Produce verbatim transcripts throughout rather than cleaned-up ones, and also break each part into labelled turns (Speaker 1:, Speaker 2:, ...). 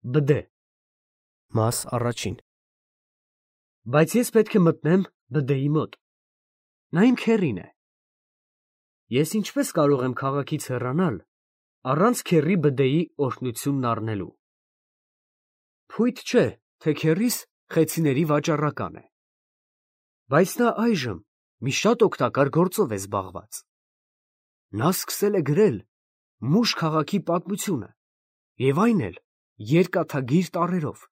Speaker 1: Բդե Մաս առաջին Բայց ես պետք է մտնեմ բդեի մոտ։ Նա իմ քեռին է։ Ես ինչպես կարող եմ քաղաքից հեռանալ, առանց քեռի բդեի օրհնությունն առնելու։ Փույթ չէ, թե քեռիս խեցիների վաճառական է։ Բայց նա այժմ մի շատ օգտակար գործով է զբաղված։ Նա սկսել է գրել Մուշ քաղաքի պատմությունը, և այն էլ երկաթագիր տառերով,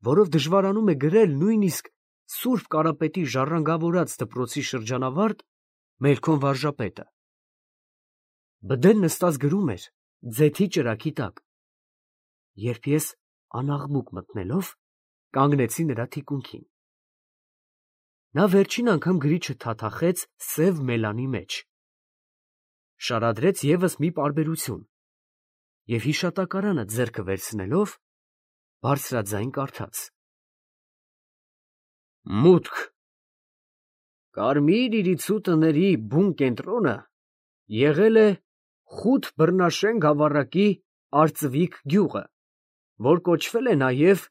Speaker 1: որով դժվարանում է գրել նույնիսկ Սուրբ Կարապետի ժառանգավորած դպրոցի շրջանավարտ Մելքոն վարժապետը։ Բդեն նստած գրում էր ձեթի ճրագի տակ, երբ ես անաղմուկ մտնելով կանգնեցի նրա թիկունքին։ Նա վերջին անգամ գրիչը թաթախեց սև մելանի մեջ, շարադրեց ևս մի պարբերություն և հիշատակարանը ձեռքը վերցնելով բարձրաձայն կարդաց. Մուտք Կարմիր իրիցու տների բուն կենտրոնը եղել է Խութ Բռնաշեն գավառակի Արծվիկ գյուղը, որ կոչվել է նաև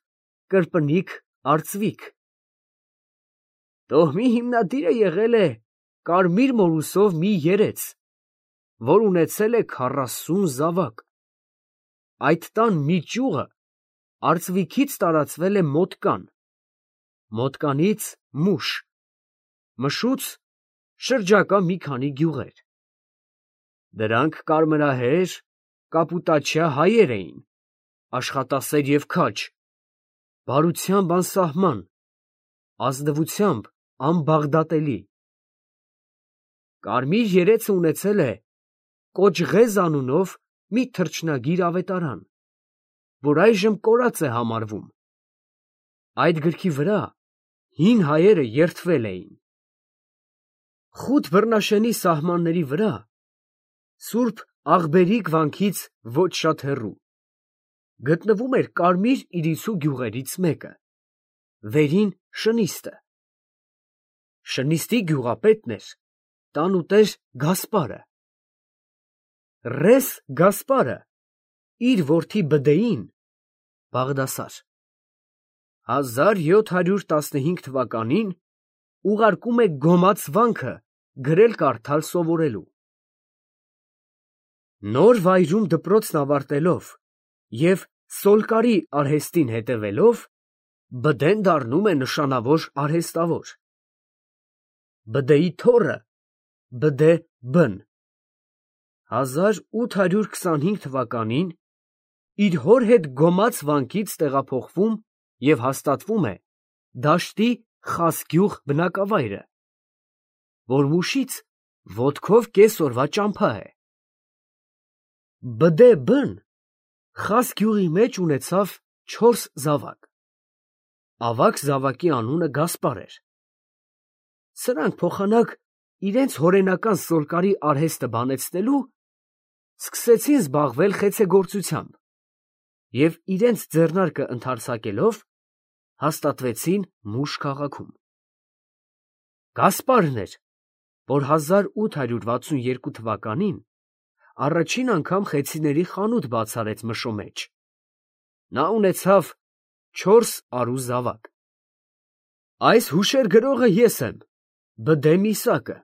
Speaker 1: Կրպնիկ Արծվիկ։ Տոհմի հիմնադիրը եղել է կարմիր մորուսով մի երեց, որ ունեցել է քառասուն զավակ։ Այդ տան մի ճյուղը Արծվիկից տարածվել է Մոտկան, Մոտկանից Մուշ, Մշուց շրջակա մի քանի գյուղեր։ Դրանք կարմրահեր, կապուտաչյա հայեր էին, աշխատասեր և քաջ, բարությամբ անսահման, ազնվությամբ անբաղդատելի։ Կարմիր երեցը ունեցել է Կոճղեզ անունով մի թռչնագիր ավետարան, որ այժմ կորած է համարվում։ Այդ գրքի վրա հին հայերը երդվել էին։ Խութ Բռնաշենի սահմանների վրա, Սուրբ Աղբերիկ վանքից ոչ շատ հեռու, գտնվում էր կարմիր իրիցու գյուղերից մեկը, վերին Շնիստը։ Շնիստի գյուղապետն էր տանուտեր Գասպարը։ Ռես Գասպարը իր որդի Բդեին Բաղդասար հազար յոթ հարյուր տասնհինգ թվականին ուղարկում է Գոմաց վանքը գրել֊կարդալ սովորելու։ Նոր վայրում դպրոցն ավարտելով և Սոլկարի արհեստին հետևելով, Բդեն դառնում է նշանավոր արհեստավոր։ Բդեի թոռը Բդե֊բն հազար ութ հարյուր քսանհինգ թվականին իր հոր հետ Գոմաց վանքից տեղափոխվում և հաստատվում է Դաշտի Խասգյուղ բնակավայրը, որ Մուշից ոտքով կես օրվա ճամփա է։ Բդե֊բն Խասգյուղի մեջ ունեցավ չորս զավակ։ Ավագ զավակի անունը Գասպար էր։ Սրանք փոխանակ իրենց հորենական Սոլկարի արհեստը բանեցնելու սկսեցին զբաղվել խեցեգործությամբ և իրենց ձեռնարկը ընդարձակելով հաստատվեցին Մուշ քաղաքում։ Գասպարն էր, որ հազար ութ հարյուր վաթսուն երկու թվականին առաջին անգամ խեցիների խանութ բացարեց Մշո մեջ։ Նա ունեցավ չորս արու զավակ։ Այս հուշեր գրողը ես եմ, Բդե Միսակը,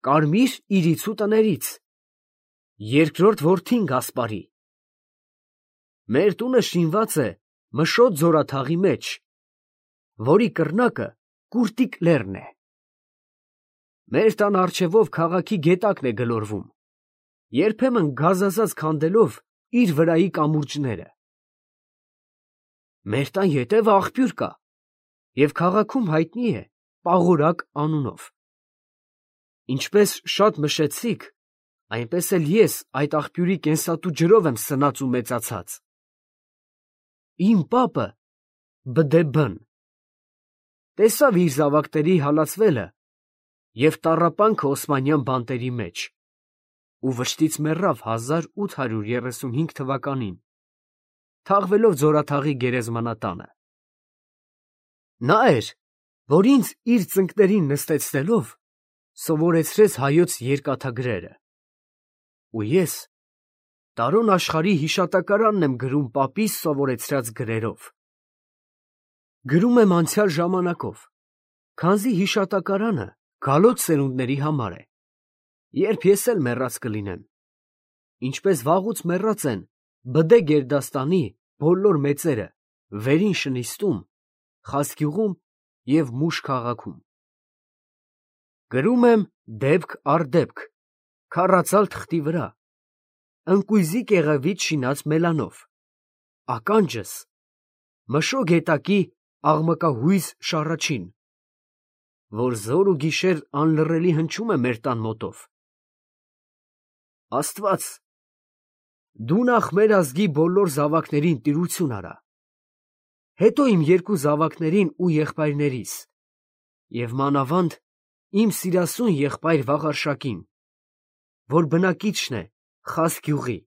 Speaker 1: կարմիր իրիցու տներից, երկրորդ որդին Գասպարի։ Մեր տունը շինված է Մշո ձորաթաղի մեջ, որի կռնակը Կուրտիկ լեռն է։ Մեր տան առջևով քաղաքի գետակն է գլորվում, երբեմն գազազած քանդելով իր վրայի կամուրջները։ Մեր տան ետևը աղբյուր կա և քաղաքում հայտնի է Պաղորակ անունով։ Ինչպես շատ մշեցիք, այնպես էլ ես այդ աղբյուրի կենսատու ջրով եմ սնած ու մեծացած։ Իմ պապը Բդե-բն տեսավ իր զավակների հալածվելը և տառապանքը օսմանյան բանտերի մեջ ու վշտից մեռավ հազար ութ հարյուր երեսունհինգ թվականին, թաղվելով ձորաթաղի գերեզմանատանը։ Նա էր, որ ինձ իր ծնկներին նստեցնելով սովորեցրեց հայոց երկաթագրերը, ու ես Տարոն աշխարհի հիշատակարանն եմ գրում պապիս սովորեցրած գրերով։ Գրում եմ անցյալ ժամանակով, քանզի հիշատակարանը գալոց սերունդների համար է, երբ ես էլ մեռած կլինեմ, ինչպես վաղուց մեռած են Բդե Գերդաստանի բոլոր մեծերը Վերին Շնիստում, Խասկյուղում և Մուշ քաղաքում։ Գրում եմ դեպք առ դեպք, քառածալ թղթի վրա, ընկույզի կեղևից շինած մելանով, ականջս մշո գետակի աղմկահույզ շառաչին, որ զոր ու գիշեր անլռելի հնչում է մեր տան մոտով։ Աստված, դու նախ մեր ազգի բոլոր զավակներին տիրություն արա, հետո իմ երկու զավակներին ու եղբայրներիս, և մանավանդ իմ սիրասուն եղբայր Վաղարշակին, որ բնակիչն է Խասկյուղի,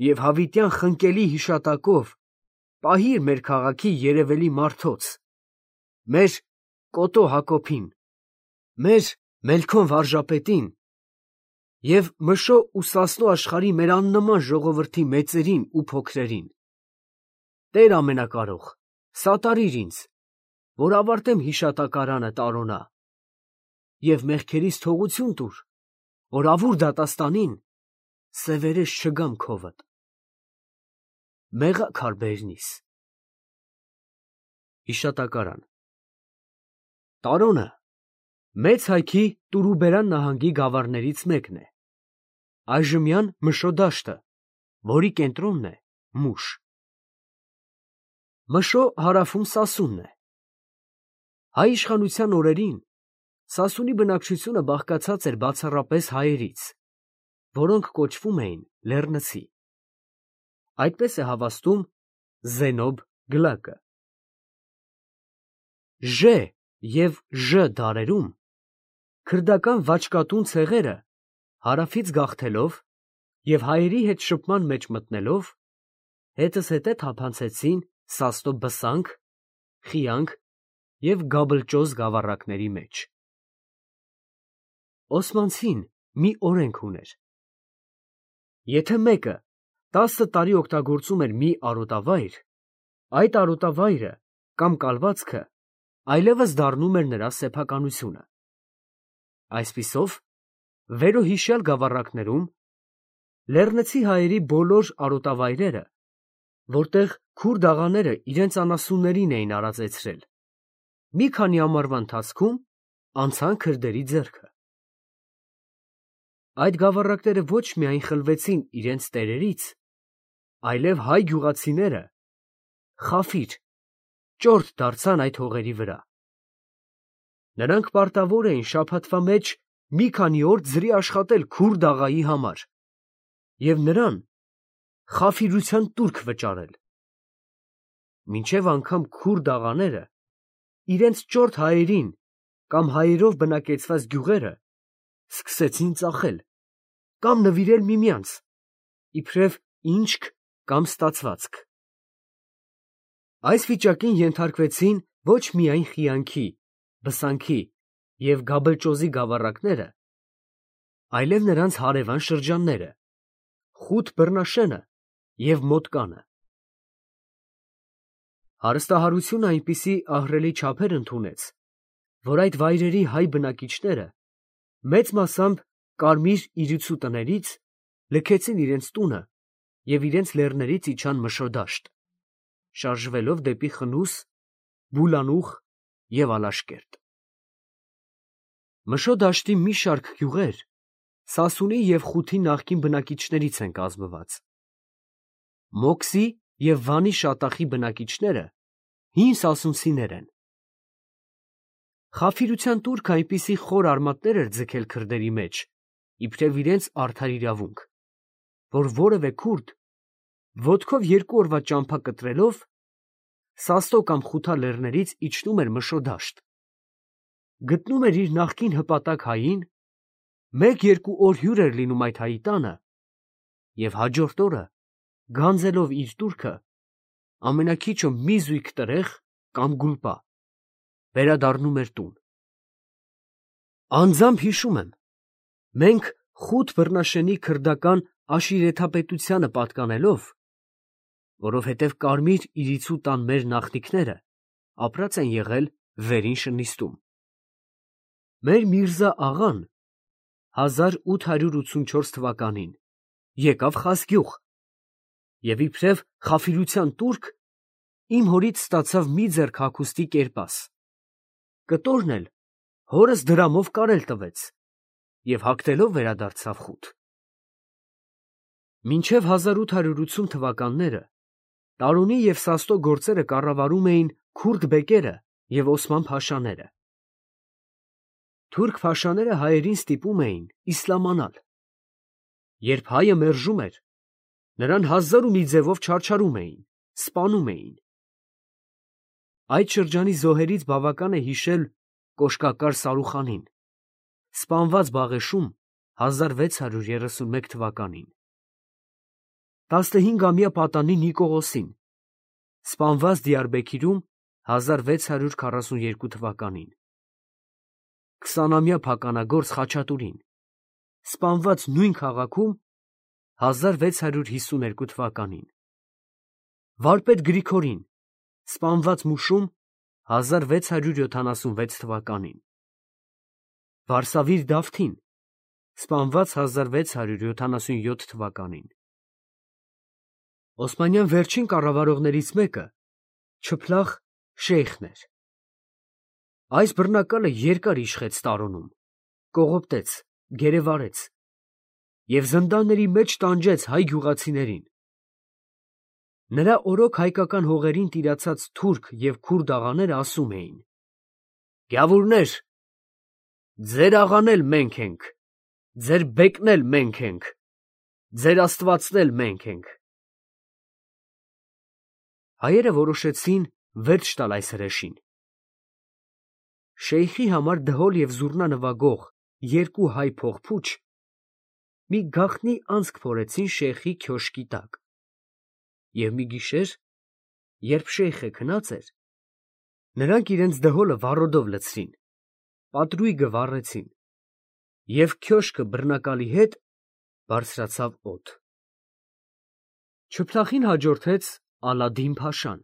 Speaker 1: և հավիտյան խնկելի հիշատակով պահիր մեր քաղաքի երևելի մարդոց, մեր Կոտո Հակոբին, մեր Մելքոն Վարժապետին և Մշո ու Սասնո աշխարհի մեր աննման ժողովրդի մեծերին ու փոքրերին։ Տեր ամենակարող, սատարիր ինձ, որ ավարտեմ հիշատակարանը տարոնա, և մեղքերիս թողություն տուր, որ ավուր դատաստանին սևերես չգամ քովդ։ Մեղա քարբերնիս։ Հիշատակարան Տարոնը Մեծ Հայքի Տուրուբերան նահանգի գավառներից մեկն է, այժմյան Մշո դաշտը, որի կենտրոնն է Մուշ։ Մշո հարավում Սասունն է։ Հայ իշխանության օրերին Սասունի բնակչությունը բաղկացած էր բացառապես հայերից, որոնք կոչվում էին լեռնցի։ Այդպես է հավաստում Զենոբ Գլակը։ Ժ և Ժ դարերում քրդական վաճկատուն ցեղերը հարավից գաղթելով և հայերի հետ շփման մեջ մտնելով, հետզհետե թափանցեցին Սասնո Բսանք, Խիանք և Գաբլճոզ գավառակների մեջ։ Օսմանցին մի օրենք ուներ. եթե մեկը տասը տարի օգտագործում էր մի արոտավայր, այդ արոտավայրը կամ կալվածքը այլևս դառնում էր նրա սեփականությունը։ Այսպիսով, վերոհիշյալ գավառակներում լեռնցի հայերի բոլոր արոտավայրերը, որտեղ քուրդ աղաները իրենց անասուններին էին արածեցրել, մի քանի ամառվա ընթացքում անցան քրդերի ձեռքը։ Այդ գավառակները ոչ միայն խլվեցին իրենց տերերից, այլև հայ գյուղացիները խաֆիր (ճորթ) դարձան այդ հողերի վրա։ Նրանք պարտավոր էին շաբաթվա մեջ մի քանի օր ձրի աշխատել քուրդ աղայի համար և նրան խաֆիրության տուրք վճարել, մինչև անգամ քուրդ աղաները իրենց ճորթ հայերին կամ հայերով բնակեցված գյուղերը սկսեցին ծախել կամ նվիրել միմյանց, իբրև ինչք կամ ստացվածք։ Այս վիճակին ենթարկվեցին ոչ միայն Խիանքի, Բսանքի և Գաբլճոզի գավառակները, այլև նրանց հարևան շրջանները, Խութ Բռնաշենը և Մոտկանը։ Հարստահարությունը այնպիսի ահռելի չափեր ընդունեց, որ այդ վայրերի հայ բնակիչները մեծ մասամբ կարմիր իրիցու տներից լքեցին իրենց տունը և իրենց լեռներից իջան Մշո դաշտ, շարժվելով դեպի Խնուս, Բուլանուխ և Ալաշկերտ։ Մշո դաշտի մի շարք գյուղեր Սասունի և Խութի նախկին բնակիչներից են կազմված։ Մոքսի և Վանի շատախի բնակիչները հին սասունցիներ են։ Խաֆիրության տուրքը այնպիսի խոր արմատներ էր ձգել քրդերի մեջ, իբրև իրենց արդար իրավունք, որ որևէ քուրդ ոտքով երկու օրվա ճամփա կտրելով Սասնո կամ Խութա լեռներից իջնում էր Մշո դաշտ, գտնում էր իր նախկին հպատակ հային, մեկ֊երկու օր հյուր էր լինում այդ հայի տանը և հաջորդ օրը, գանձելով իր տուրքը, ամենաքիչը մի զույգ տրեխ կամ գուլպա, վերադառնում էր տուն։ Անձամբ հիշում եմ, մենք Խութ Բռնաշենի քրդական աշիրեթապետությանը պատկանելով, որովհետև կարմիր իրիցու տան մեր նախնիքները ապրած են եղել վերին շնիստում։ Մեր Միրզա աղան հազար ութ հարյուր ութսունչորս թվականին եկավ Խասգյուղ և իբրև խաֆիրության տուրք իմ հորից ստացավ մի ձեռք հագուստի կերպաս, կտորն էլ հորս դրամով կարել տվեց և հագնելով վերադարձավ խուտ։ Մինչև հազար ութ հարյուր ութսուն թվականները Տարոնի և Սաստո գործերը կառավարում էին քուրդ բեկերը և Օսման փաշաները։ Թուրք փաշաները հայերին ստիպում էին իսլամանալ։ Երբ հայը մերժում էր, նրան հազար ու մի ձևով չարչարում էին, սպանում էին։ Այդ շրջանի զոհերից բավական է հիշել կոշկակար Սարուխանին, սպանված Բաղեշում հազար վեց հարյուր երեսունմեկ թվականին, տասնհինգամյա պատանի Նիկողոսին, սպանված Դիարբեքիրում հազար վեց հարյուր քառասունյոթ թվականին, քսանամյա փականագործ Խաչատուրին, սպանված նույն քաղաքում հազար վեց հարյուր հիսուներկու թվականին, վարպետ Գրիգորին, սպանված Մուշում հազար վեց հարյուր յոթանասունվեց թվականին, Վարսավիր Դավթին, սպանված հազար վեց հարյուր յոթանասունյոթ թվականին։ Օսմանյան վերջին կառավարողներից մեկը Չփլախ Շեյխն էր։ Այս բռնակալը երկար իշխեց Տարոնում, կողոպտեց, գերեվարեց և զնդանների մեջ տանջեց հայ գյուղացիներին։ Նրա օրոք հայկական հողերին տիրացած թուրք և քուրդ աղաները ասում էին. «Գյավուրներ, ձեր աղան էլ մենք ենք, ձեր բեկն էլ մենք ենք, ձեր աստվածն էլ մենք ենք»։ Հայերը որոշեցին վերջ տալ այս հրեշին։ Շեյխի համար դհոլ և զուռնա նվագող երկու հայ փողփուչ մի գաղտնի անցք փորեցին շեյխի քյոշկի տակ, և մի գիշեր, երբ շեյխը քնած էր, նրանք իրենց դհոլը վառոդով լցրին, պատրույգը վառեցին, և քյոշկը բռնակալի հետ բարձրացավ օդ։ Չփլախին հաջորդեց Ալադին֊փաշան։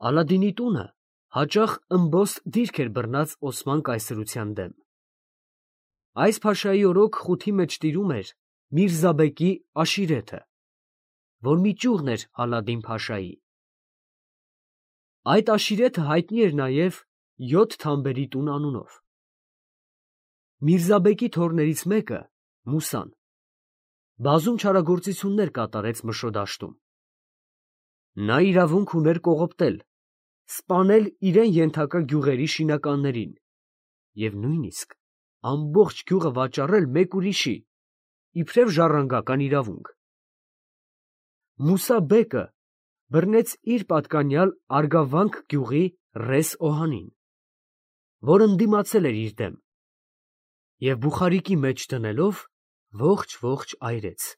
Speaker 1: Ալադինի տունը հաճախ ըմբոստ դիրք էր բռնած Օսման կայսրության դեմ։ Այս փաշայի օրոք խութի մեջ տիրում էր Միրզաբեկի աշիրեթը, որ մի ճյուղն էր Ալադին֊փաշայի։ Այդ աշիրեթը հայտնի էր նաև յոթ թամբերի տուն անունով։ Միրզաբեկի թոռներից մեկը՝ Մուսան, բազում չարագործություններ կատարեց Մշո դաշտում։ Նա իրավունք ուներ կողոպտել, սպանել իրան ենթակա գյուղերի շինականներին և նույնիսկ ամբողջ գյուղը վաճառել մեկ ուրիշի, իբրև ժառանգական իրավունք։ Մուսա բեկը բռնեց իր պատկանյալ Արգավանք գյուղի ռես Օհանին, որ ընդդիմացել էր իր դեմ, և բուխարիկի մեջ դնելով ողջ֊ողջ այրեց։